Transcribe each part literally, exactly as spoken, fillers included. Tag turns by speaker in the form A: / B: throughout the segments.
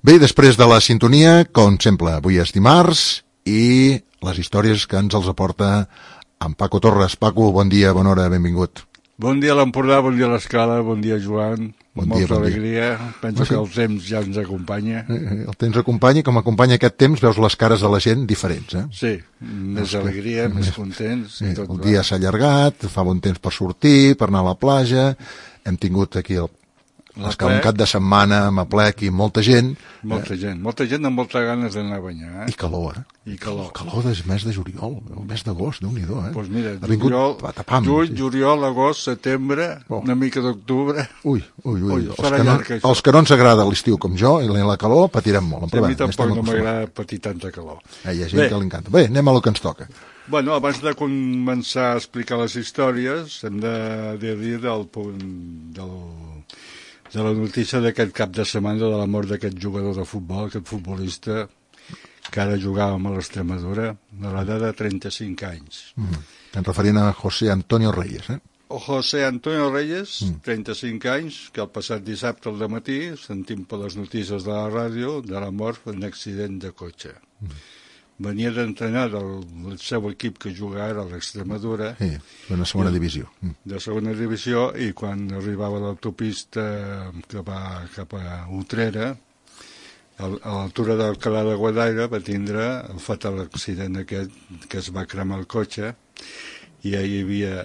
A: Bé, després de la sintonia, com sempre, avui és dimarts i les històries que ens els aporta en Paco Torres. Paco, bon dia, bona hora, benvingut.
B: Bon dia a l'Empordà, bon dia a l'Escala, bon dia Joan,
A: bon
B: molta
A: dia, bon
B: alegria,
A: dia.
B: Penso que el temps ja ens acompanya.
A: El temps acompanya i com acompanya aquest temps veus les cares de la gent diferents, eh?
B: Sí, més alegria, més contents.
A: Sí,
B: tot
A: el dia s'ha allargat, fa bon temps per sortir, per anar a la platja, hem tingut aquí el És que un cap de setmana amb aplec i molta gent.
B: Molta eh? gent, molta gent amb moltes ganes d'anar a banyar. Eh?
A: I calor, eh?
B: I calor.
A: El calor del mes de juliol, el mes d'agost, Déu-n'hi-do, eh?
B: Doncs pues mira,
A: ha vingut
B: juliol,
A: patapam,
B: juny,
A: sí.
B: juliol, agost, setembre, oh. una mica d'octubre.
A: Ui, ui, ui.
B: ui
A: els, que no, els que no ens agrada l'estiu com jo i la calor patirem molt.
B: Sí, a mi tampoc no m'agrada patir tanta calor.
A: Eh, hi ha gent Bé. que li encanta. Bé, anem a lo que ens toca.
B: Bueno, abans de començar a explicar les històries, hem de dir del punt del... de la notícia d'aquest cap de setmana de la mort d'aquest jugador de futbol, aquest futbolista que ara jugàvem a l'Extremadura, a l'edat de trenta-cinc anys.
A: Mm. Ens referint a José Antonio Reyes, eh?
B: O José Antonio Reyes, mm. trenta-cinc anys, que el passat dissabte al dematí sentim per les notícies de la ràdio de la mort en un accident de cotxe. Mm. Venia d'entrenar del, del seu equip que juga ara a l'Extremadura.
A: Sí, de la segona divisió.
B: De segona divisió, i quan arribava a l'autopista que va cap a Utrera, a l'altura d'Alcalá de Guadaira, va tindre el fatal accident aquest, que es va cremar el cotxe, i hi havia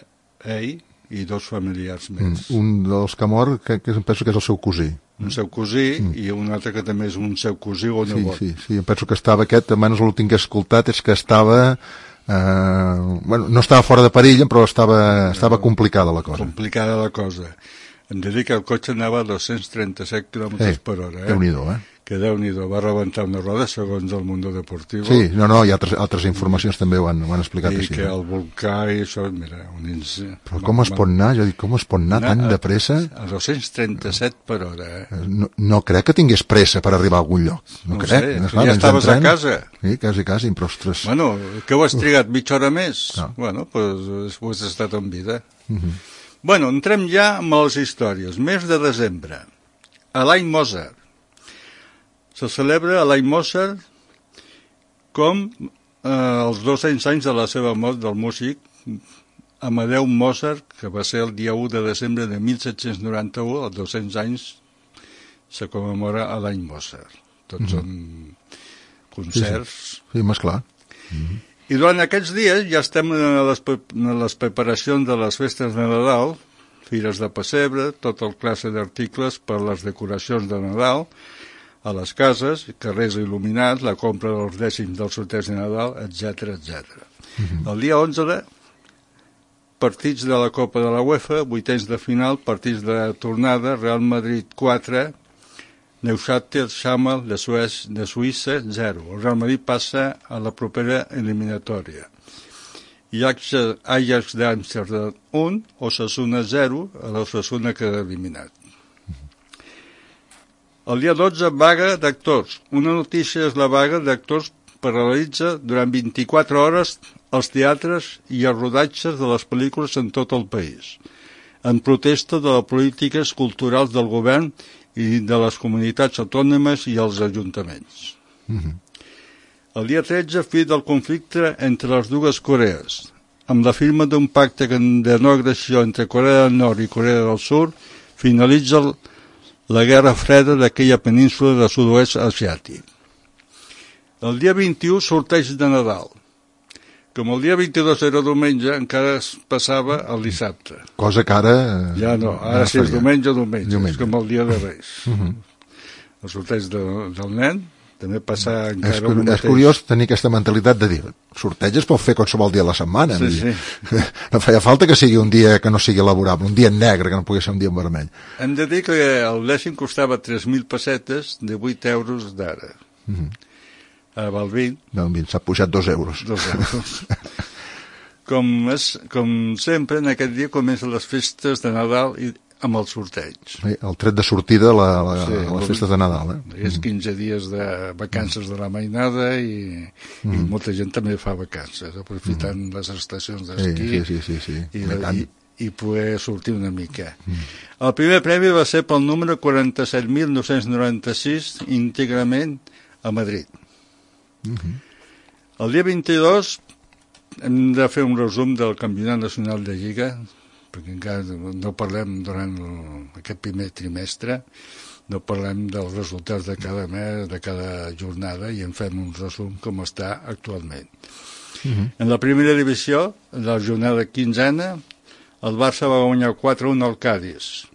B: ell i dos familiars més.
A: Mm, un dels que mor, que, que penso que és el seu cosí.
B: Un seu cosí mm. i un altre que també és un seu cosí o nebot.
A: Sí, sí, sí, em penso que estava aquest, almenys l'últim que he escoltat és que estava, eh, bueno, no estava fora de perill, però estava, estava complicada la cosa.
B: Complicada la cosa. Hem de dir que el cotxe anava a dos-cents trenta-set quilòmetres
A: eh,
B: per hora. Eh?
A: Déu-n'hi-do, eh?
B: Que Déu-n'hi-do, va rebentar una roda, segons el Mundo Deportivo.
A: Sí, no, no, hi ha altres, altres informacions també ho han, ho han explicat
B: I
A: així.
B: I que el volcà i això, mira... Un ins...
A: Però com es pot anar, jo dic, com es pot anar tan de pressa?
B: A dos-cents trenta-set per hora, eh?
A: No, no crec que tingués pressa per arribar a algun lloc. No,
B: no
A: crec.
B: Sé,
A: no, clar,
B: ja estaves a casa.
A: Sí, quasi, quasi, però ostres...
B: Bueno, què ho has trigat, mitja hora més?
A: No.
B: Bueno, doncs ho has estat en vida.
A: Uh -huh.
B: Bueno, entrem ja amb les històries. Mes de desembre, a l'any Mozart. Se celebra l'any Mozart com eh, els dos-cents anys de la seva mort del músic Amadeu Mozart, que va ser el dia u de desembre de mil set-cents noranta-u, als dos-cents anys se commemora a l'any Mozart. Tots mm-hmm. són concerts.
A: Sí, sí. sí més clar. Mm-hmm.
B: I durant aquests dies ja estem en les, en les preparacions de les festes de Nadal, fires de pessebre, tot el classe d'articles per les decoracions de Nadal, a les cases, carrers il·luminats, la compra dels dècims dels sorteig de Nadal, etcètera, etcètera. Mm-hmm. El dia onze, partits de la Copa de la UEFA, vuitens de final, partits de tornada, Real Madrid quatre, Neuchâtel Xamal de, Suez, de Suïssa zero. El Real Madrid passa a la propera eliminatòria. I Ajax d'Amsterdam un, Osasuna zero, a l'Osasuna queda eliminat. El dia dotze, vaga d'actors. Una notícia és la vaga d'actors paralitza durant vint-i-quatre hores els teatres i els rodatges de les pel·lícules en tot el país, en protesta de les polítiques culturals del govern i de les comunitats autònomes i els ajuntaments. Mm-hmm. El dia tretze, fi del conflicte entre les dues Corees, amb la firma d'un pacte de no agressió entre Corea del Nord i Corea del Sud, finalitza la guerra freda d'aquella península del sud-oest asiàtic. El dia vint-i-u, sorteig de Nadal. Com el dia vint-i-dos era diumenge, encara es passava el dissabte.
A: Cosa que ara...
B: Ja no, ara si és diumenge, diumenge, diumenge. És com el dia de Reis.
A: Uh-huh.
B: El sorteig de, del nen també passa encara
A: és,
B: el mateix.
A: És curiós tenir aquesta mentalitat de dir sorteig es pot fer qualsevol dia a la setmana.
B: Sí, sí.
A: No feia falta que sigui un dia que no sigui laborable, un dia negre, que no pugui ser un dia en vermell.
B: Hem de dir que el dècim costava tres mil pessetes de vuit euros d'ara. Uh-huh. Ara val vint.
A: No, vint, s'ha pujat dos euros.
B: Dos euros. com, és, com sempre, en aquest dia comencen les festes de Nadal i amb el sorteig.
A: Sí, el tret de sortida a, la, la, sí, a les festes de Nadal. Eh?
B: És quinze dies de vacances de la mainada i, mm. i molta gent també fa vacances, aprofitant mm. les estacions d'esquí.
A: Sí, sí, sí, sí.
B: I, la, i, i poder sortir una mica. Mm. El primer premi va ser pel número quaranta-set mil nou-cents noranta-sis, íntegrament a Madrid. Mm-hmm. El dia vint-i-dos hem de fer un resum del Campionat Nacional de Lliga, perquè encara no parlem durant el, aquest primer trimestre, no parlem dels resultats de cada mes, de cada jornada, i en fem un resum com està actualment. Mm-hmm. En la primera divisió, en la jornada quinzena, el Barça va guanyar quatre a un al Cádiz.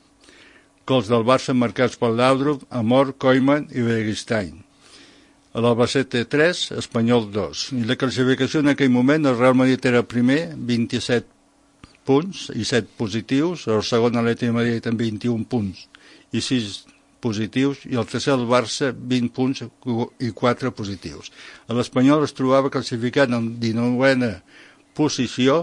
B: Gols del Barça marcats per Laudrup, Amor, Koeman i Beristain. L'Albacete tres, Espanyol dos. I la classificació en aquell moment, el Real Madrid era primer, vint-i-set punts i set positius, el segon Atlètic de Madrid amb vint-i-un punts i sis positius, i el tercer el Barça vint punts i quatre positius. L'Espanyol es trobava classificat en dinovena posició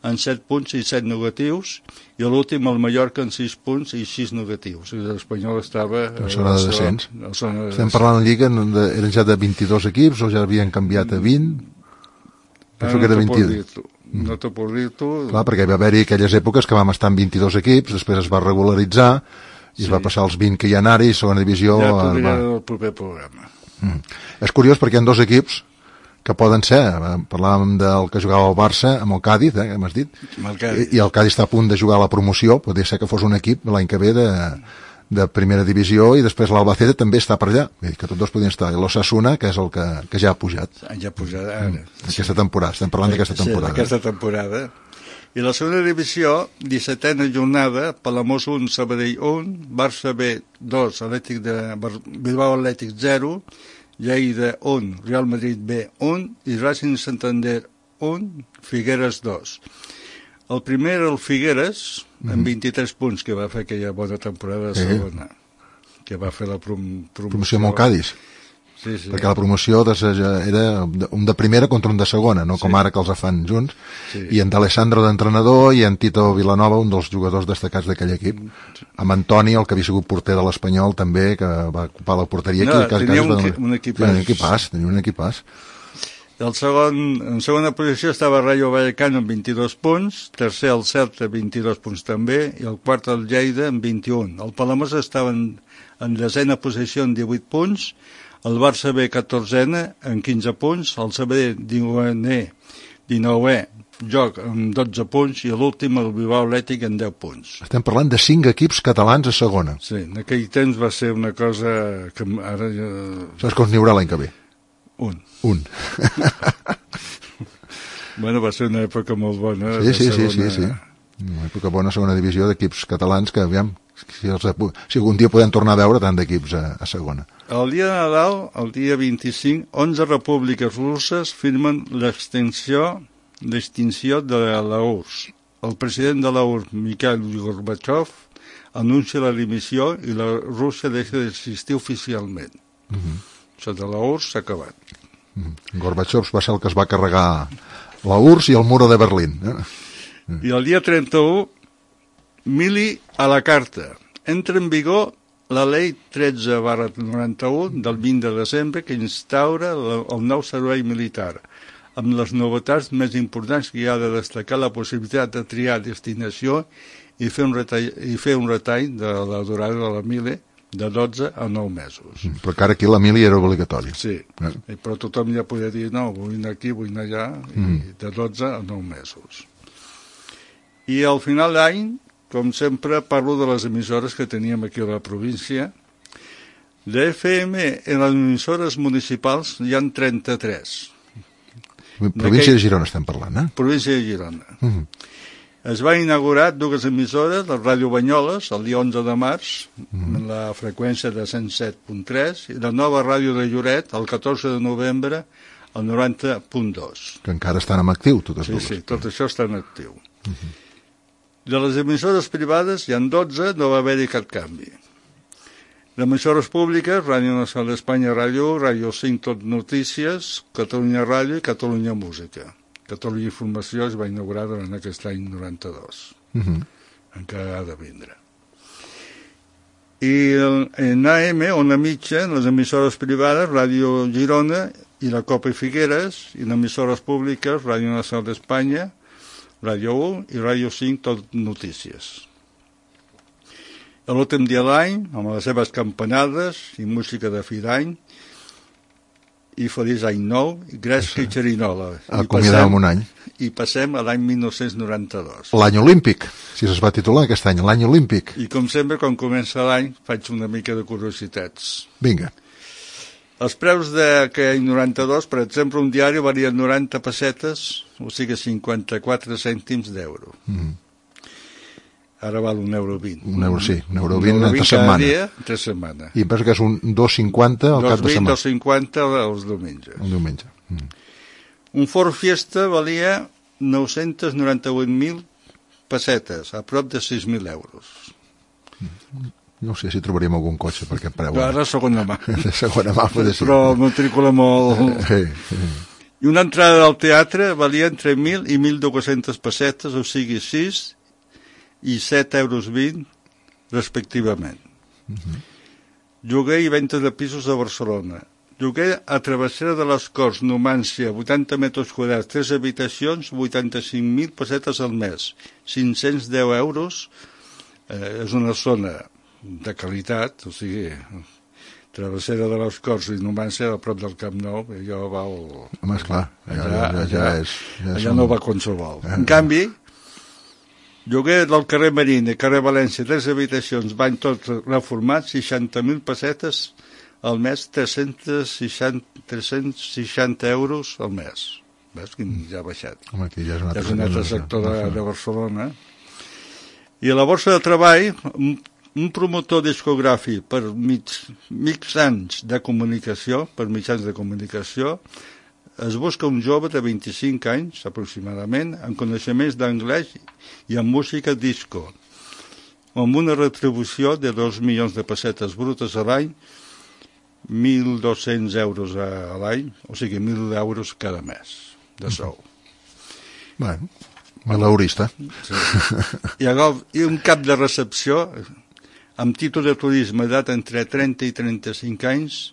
B: en set punts i set negatius, i l'últim el Mallorca en sis punts i sis negatius. L'Espanyol estava
A: en zona de descens. Estem parlant de Lliga, eren ja de vint-i-dos equips o ja havien canviat a vint? Penso que era vint-i-dos.
B: No t'ho puc dir tu.
A: Clar, perquè va haver-hi aquelles èpoques que vam estar en vint-i-dos equips, després es va regularitzar i sí. Es va passar als vint que hi ha ara i segona divisió...
B: Ja t'ho diré va... el proper programa.
A: Mm. És curiós perquè hi ha dos equips que poden ser, parlàvem del que jugava el Barça amb el Cádiz, eh, que m'has dit, el I, i el Cádiz està a punt de jugar a la promoció, podria ser que fos un equip l'any que ve de, de primera divisió, i després l'Albacete també està per allà, que tots dos podien estar, i l'Osasuna, que és el que, que ja ha pujat.
B: Ja ha pujat ara.
A: Mm. Aquesta temporada, estem parlant d'aquesta temporada.
B: Sí, d'aquesta temporada. I la segona divisió, dissetena jornada, Palamós un, Sabadell un, Barça B dos, Atlètic de Bilbao Atlètic zero, Lleida un, Real Madrid B un i Racing Santander un, Figueres dos. El primer era el Figueres, amb mm-hmm. vint-i-tres punts, que va fer aquella bona temporada de segona, sí. que va fer la prom promoció.
A: Promoció amb el Cádiz.
B: Sí, sí.
A: Perquè la promoció de, era un de primera contra un de segona, no com sí. Ara que els fan junts, sí. I en d'Alessandro d'entrenador i en Tito Vilanova, un dels jugadors destacats d'aquell equip, amb Antoni, el que havia sigut porter de l'Espanyol també, que va ocupar la porteria
B: no,
A: aquí. Que
B: tenia un, un equipàs.
A: Un equipàs, tenia un equipàs.
B: El segon, en segona posició estava Rayo Vallecano amb vint-i-dos punts, tercer el Celta vint-i-dos punts també, i el quart el Lleida amb vint-i-un. El Palamós estava en, en desena posició amb divuit punts, el Barça B catorzena amb quinze punts, el Sabadell dinovè joc amb dotze punts i l'últim el Bilbao Atlètic amb deu punts.
A: Estem parlant de cinc equips catalans a segona.
B: Sí, en aquell temps va ser una cosa que ara ja...
A: Saps com n'hi haurà l'any que ve?
B: Un.
A: Un.
B: Bueno, va ser una època molt bona.
A: Sí, sí, segona... sí, sí, sí. Una època bona, segona divisió d'equips catalans que, aviam, si, els, si algun dia podem tornar a veure tant d'equips a, a segona.
B: El dia de Nadal, el dia vint-i-cinc, onze repúbliques russes firmen l'extinció l'extinció de la U R S S. El president de la U R S S, Mikhail Gorbachev, anuncia la dimissió i la Rússia deixa d'existir oficialment. Uh-huh. Això de la U R S S s'ha acabat.
A: Uh-huh. Gorbachev va ser el que es va carregar la U R S S i el muro de Berlín. Eh?
B: Uh-huh. I el dia trenta-u, Mili a la carta. Entra en vigor la llei tretze barra noranta-un del vint de desembre que instaura el nou servei militar, amb les novetats més importants que hi ha de destacar la possibilitat de triar destinació i fer un retall, i fer un retall de la durada de la mili de dotze a nou mesos.
A: Però encara aquí la mili era obligatòria.
B: Sí, eh? Però tothom ja podia dir no, vull anar aquí, vull anar allà, mm. i de dotze a nou mesos. I al final d'any, com sempre, parlo de les emissores que teníem aquí a la província. De F M en les emissores municipals hi ha trenta-tres.
A: Província de Girona estem parlant, eh?
B: Província de Girona.
A: Mm.
B: Es va inaugurar dues emissores, la Ràdio Banyoles, el dia onze de març, mm. en la freqüència de cent set punt tres, i la nova Ràdio de Lloret, el catorze de novembre, el noranta punt dos.
A: Que encara estan en actiu, totes
B: sí,
A: dues.
B: Sí, tot això està en actiu. Mm-hmm. De les emissores privades hi ha dotze, no va haver-hi cap canvi. Les emissores públiques, Ràdio Nacional d'Espanya, Ràdio, Ràdio cinc, Tot Notícies, Catalunya Ràdio i Catalunya Música. Catalunya Informació es va inaugurar durant aquest any noranta-dos. Uh-huh. Encara ha de vindre. I en A M, Ona Mitja, les emissores privades, Ràdio Girona i la Copa i Figueres, i les emissores públiques, Ràdio Nacional d'Espanya, Ràdio u i Ràdio cinc, tot notícies. L'últim dia de l'any, amb les seves campanades i música de fi d'any, i feliç any nou, i gresca i xerinola.
A: Acomiadàvem un any.
B: I passem a l'any mil nou-cents noranta-dos.
A: L'any olímpic, si es va titular aquest any, l'any olímpic.
B: I com sempre, quan comença l'any, faig una mica de curiositats.
A: Vinga.
B: Els preus d'aquell any noranta-dos, per exemple, un diari valia noranta pessetes, o sigui cinquanta-quatre cèntims d'euro. Mm. Ara val un euro vint.
A: Un euro, sí, un euro vint entre setmana.
B: Dia, entre setmana.
A: I em penso que és un dos cinquanta al cap de setmana.
B: dos cinquanta els diumenges.
A: El diumenge. Mm.
B: Un Ford Fiesta valia nou-cents noranta-vuit mil pessetes, a prop de sis mil euros.
A: Mm. No sé si trobaríem algun cotxe per aquest preu.
B: Ara segona mà.
A: De segona mà, pot ser.
B: Però matrícula molt...
A: Sí, sí.
B: I una entrada al teatre valia entre mil i mil dues-centes pessetes, o sigui sis i set euros vint, respectivament. Uh-huh. Lloguer i venda de pisos a Barcelona. Lloguer a Travessera de les Corts, Numància, vuitanta metres quadrats, tres habitacions, vuitanta-cinc mil pessetes al mes, cinc-cents deu euros. Eh, és una zona de qualitat, o sigui, Travessera de les Corts i Numància a prop del Camp Nou, allò val...
A: Home, esclar, allà,
B: allà,
A: ja, ja,
B: allà,
A: és... Ja
B: allà
A: som...
B: no va qualsevol. En canvi, lloguer del carrer Marina i carrer València, tres habitacions, bany tot reformat, seixanta mil pessetes al mes, tres-cents seixanta euros al mes. Ves que ja ha baixat.
A: Home, aquí ja és un altre,
B: ja és un altre sector de, de Barcelona. I a la borsa de treball, un promotor discogràfic per mig, mitjans de comunicació, per mitjans de comunicació, es busca un jove de vint-i-cinc anys, aproximadament, amb coneixements d'anglès i amb música disco, amb una retribució de dos milions de pessetes brutes a l'any, mil dos-cents euros a l'any, o sigui, mil euros cada mes de sou.
A: Bueno, malaurista.
B: Sí. I, I un cap de recepció amb títol de turisme d'edat entre trenta i trenta-cinc anys,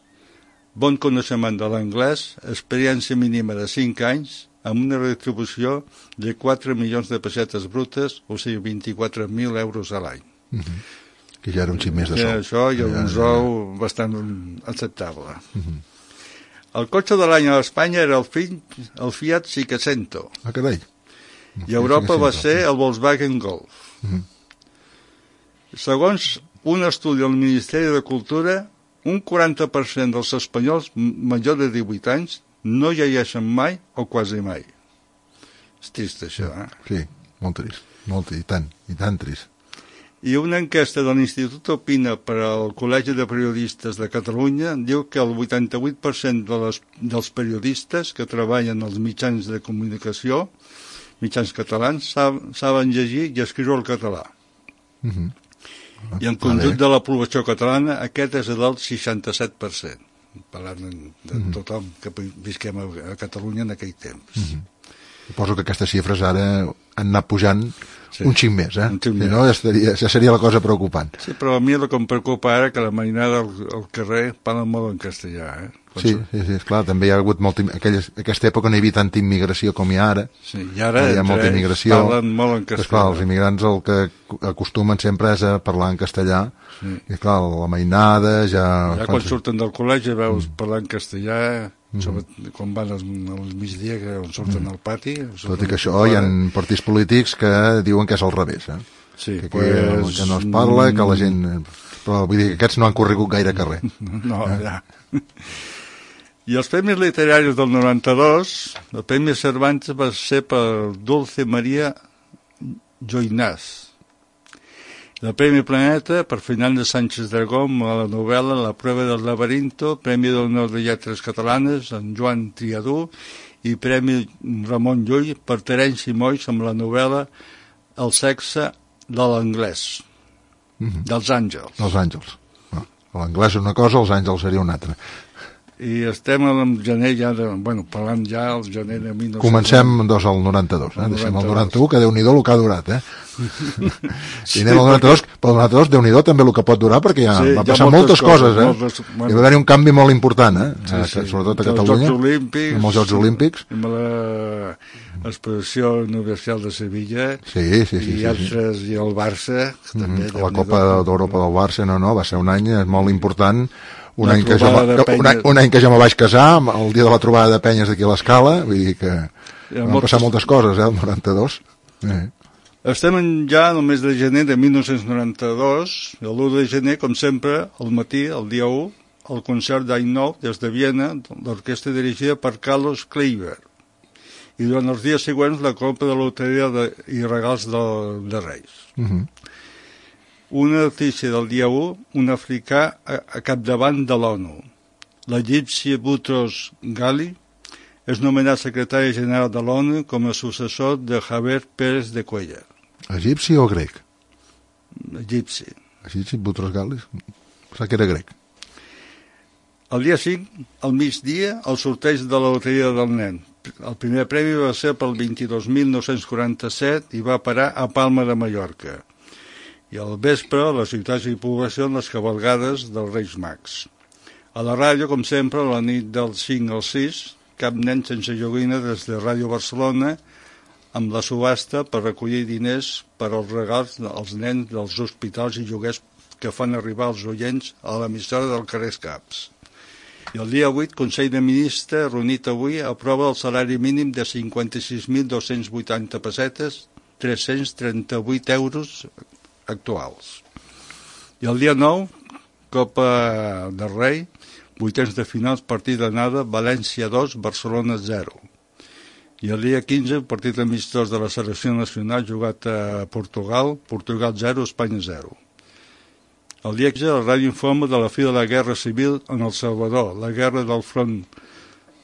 B: bon coneixement de l'anglès, experiència mínima de cinc anys, amb una retribució de quatre milions de pessetes brutes, o sigui, vint-i-quatre mil euros a l'any.
A: Uh-huh. Que ja era un xic més de sou.
B: I això hi ha un sou ja, ja. bastant acceptable. Uh-huh. El cotxe de l'any a Espanya era el, fill, el Fiat Cinquecento.
A: Ah, carai.
B: I a Europa va ser el Volkswagen Golf. Uh-huh. Segons un estudi del Ministeri de Cultura, un quaranta per cent dels espanyols majors de divuit anys no llegeixen mai o quasi mai. És trist, això, eh?
A: Sí, molt trist. Molt, i tant, i tant trist.
B: I una enquesta de l'Institut Opina per al Col·legi de Periodistes de Catalunya diu que el vuitanta-vuit per cent de les, dels periodistes que treballen als mitjans de comunicació, mitjans catalans, sab, saben llegir i escriure el català. Uh-huh. I en conjunt de la població catalana aquest és del seixanta-set per cent, parlant de, de mm-hmm. tothom que visquem a, a Catalunya en aquell temps.
A: Mm-hmm. Suposo que aquestes xifres ara han anat pujant sí. un xic més, eh?
B: Un xic
A: si
B: més.
A: No, ja, estaria, ja seria la cosa preocupant.
B: Sí, però a mi el que em preocupa ara que la mainada al, al carrer parla molt en castellà, eh?
A: Sí, sí, sí, esclar, també hi ha hagut molta... Aquelles, aquesta època no hi havia tanta immigració com hi ha ara.
B: Sí, i ara
A: hi ha molta immigració.
B: Parlen molt en castellà.
A: Esclar, els immigrants el que acostumen sempre és a parlar en castellà. Sí. I clar, la mainada ja...
B: Ja quan surten del col·legi veus mm. parlar en castellà, mm. sobre, quan van al, al migdia, que surten mm. al pati...
A: Tot i que això hi ha partits polítics que diuen que és al revés, eh?
B: Sí,
A: que,
B: pues...
A: que no es parla, que la gent... Però vull dir que aquests no han corregut gaire carrer.
B: No, ja... I els premis literaris del noranta-dos, el Premi Cervantes va ser per Dulce María Joinás. El Premi Planeta per Fernández Sánchez Dragón a la novel·la La prueba del laberinto, Premi d'Honor de Lletres Catalanes en Joan Triadú i Premi Ramon Llull per Terenci Moix amb la novel·la El sexe de l'anglès, mm-hmm. dels àngels.
A: Els àngels. No. L'anglès és una cosa, els àngels seria una altra.
B: I estem en gener ja, de, bueno, parlant ja el gener de mil nou-cents...
A: Comencem, doncs, al noranta-dos, eh? Deixem el noranta-u, que Déu-n'hi-do el que ha durat, eh? I anem al noranta-dos, però el noranta-dos, Déu-n'hi-do també el que pot durar, perquè ja sí, va passar moltes, moltes coses, eh? Moltes, bueno, hi va haver un canvi molt important, eh? Sí, sí. Sobretot a Catalunya,
B: els Jocs Olímpics,
A: amb els Jocs Olímpics.
B: Amb l'exposició universal de Sevilla,
A: sí, sí, sí,
B: i altres, sí, sí. I el Barça, també.
A: Mm-hmm. La Copa d'Europa del Barça, no, no, va ser un any molt important. Un any, que jo, que, un, any, un any que jo me vaig casar, el dia de la trobada de penyes d'aquí a l'Escala, vull dir que van moltes... passar moltes coses, eh, el noranta-dos. Eh.
B: Estem ja en el mes de gener de mil nou-cents noranta-dos, i l'u de gener, com sempre, al matí, el dia u, el concert d'any nou, des de Viena, l'orquestra dirigida per Carlos Kleiber. I durant els dies següents, la compra de loteria de, i regals de, de Reis. Uh-huh. Una notícia del dia u, un africà a, a capdavant de l'ONU. L'egipci Boutros Ghali és nomenat secretari general de l'ONU com a successor de Javier Pérez de Cuellar.
A: Egipci o grec?
B: Egipci.
A: Egipci, Boutros Ghali, pensava que era grec.
B: El dia cinc, al migdia, el sorteig de la loteria del nen. El primer premi va ser pel vint-i-dos mil nou-cents quaranta-set i va parar a Palma de Mallorca. I al vespre, a les ciutats i poblacions, les cavalgades dels Reis Mags. A la ràdio, com sempre, a la nit del cinc al sis, Cap nen sense joguina des de Ràdio Barcelona, amb la subhasta per recollir diners per als regals als nens dels hospitals i lloguers que fan arribar els oients a l'emissora del carrer Caps. I el dia vuit, Consell de Ministres, reunit avui, aprova el salari mínim de cinquanta-sis mil dos-cents vuitanta pessetes, tres-cents trenta-vuit euros actuals. I el dia nou, Copa del Rei, vuitens de finals, partit d'anada, València dos, Barcelona zero. I el dia quinze, partit amistós de la selecció nacional jugat a Portugal, Portugal zero, Espanya zero. El dia quinze, la ràdio informa de la fi de la Guerra Civil en El Salvador, la guerra del front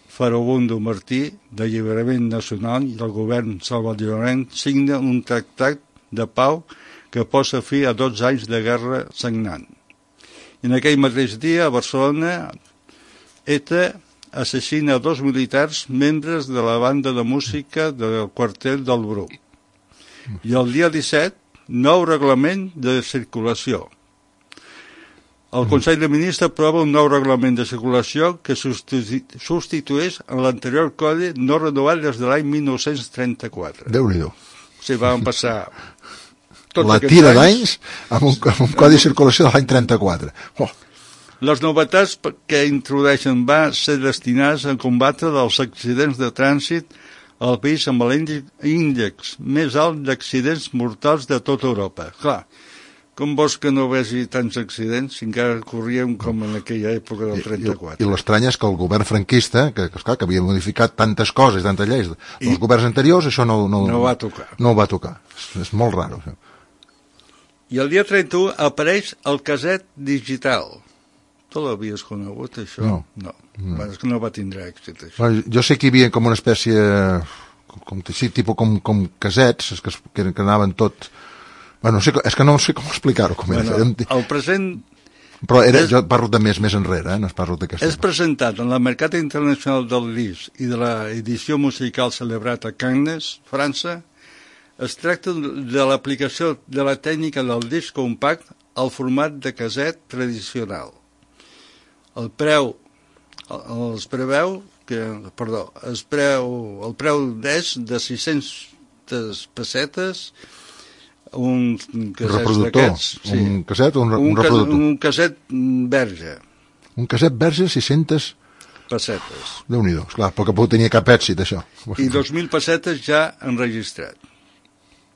B: Farabundo Martí d'Alliberament Nacional i el govern salvadorenc signa un tractat de pau que posa fi a dotze anys de guerra sagnant. I en aquell mateix dia, a Barcelona, ETA assassina dos militars membres de la banda de música del quartel del Bruc. I el dia disset, nou reglament de circulació. El Consell de Ministres aprova un nou reglament de circulació que substitueix en l'anterior codi no renovat des de l'any mil nou-cents trenta-quatre.
A: Déu-n'hi-do.
B: O sigui, van passar...
A: la tira d'anys amb, un, amb un codi de circulació de l'any trenta-quatre. Oh.
B: Les novetats que introdueixen van ser destinades a combatre els accidents de trànsit al país amb l'índex més alt d'accidents mortals de tota Europa. Clar, com vols que no vegi tants accidents si encara corríem com en aquella època del trenta-quatre?
A: I, i l'estrany és que el govern franquista, que, que, esclar, que havia modificat tantes coses, tantes lleis, I, els governs anteriors, això no, no,
B: no va tocar.
A: No va tocar. És, és molt raro, això.
B: I el dia trenta-u apareix el caset digital. Tu l'havies conegut, això?
A: No.
B: No, no. És que no va tindre èxit, això.
A: No, jo sé que hi havia com una espècie, com, com, sí, tipus com, com casets, que, que, que anaven tot... Bueno, no sé, és que no sé com explicar-ho. Com
B: bueno, era. El present...
A: Però era, és, jo parlo de més, més enrere, eh? No es parlo d'aquesta.
B: És presentat en la Mercat Internacional del Disc i de l'edició musical celebrat a Cannes, França. Es tracta de l'aplicació de la tècnica del disc compact al format de caset tradicional. El preu, els preveu, que, perdó, es preu, el preu és de sis-centes pessetes, un casset d'aquests.
A: Sí. Un casset o un, un, un reproductor?
B: Un casset verge.
A: Un casset verge, sis-centes
B: pessetes.
A: Déu-n'hi-do, esclar, perquè pot tenir cap èxit, això.
B: I dos mil pessetes ja enregistrat.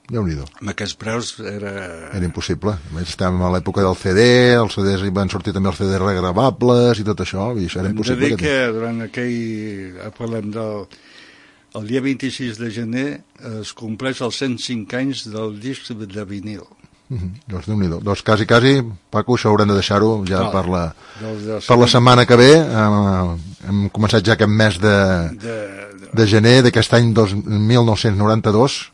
A: Déu-n'hi-do.
B: Amb aquests preus era...
A: Era impossible. Estàvem a l'època del C D, els C Ds van sortir també els C Ds regravables i tot això, i això era
B: Hem
A: impossible.
B: Hem de dir que durant aquell... Parlem del... El dia vint-i-sis de gener es compleix els cent cinc anys del disc de vinil.
A: Uh -huh. Doncs Déu-n'hi-do. Doncs quasi, quasi, Paco, això haurem de deixar-ho ja no, per, la,
B: de
A: per la setmana que ve. Hem, hem començat ja aquest mes de, de, de... de gener d'aquest any dos mil nou-cents noranta-dos,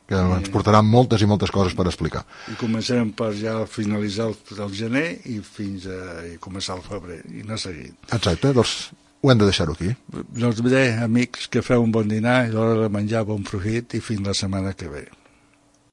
A: que ens portaran moltes i moltes coses per explicar.
B: I començarem per ja finalitzar el, el gener i fins a i començar el febrer i anar seguint.
A: Exacte, doncs ho hem de deixar-ho aquí.
B: Doncs bé, amics, que feu un bon dinar i l'hora de menjar bon profit i fins la setmana que ve.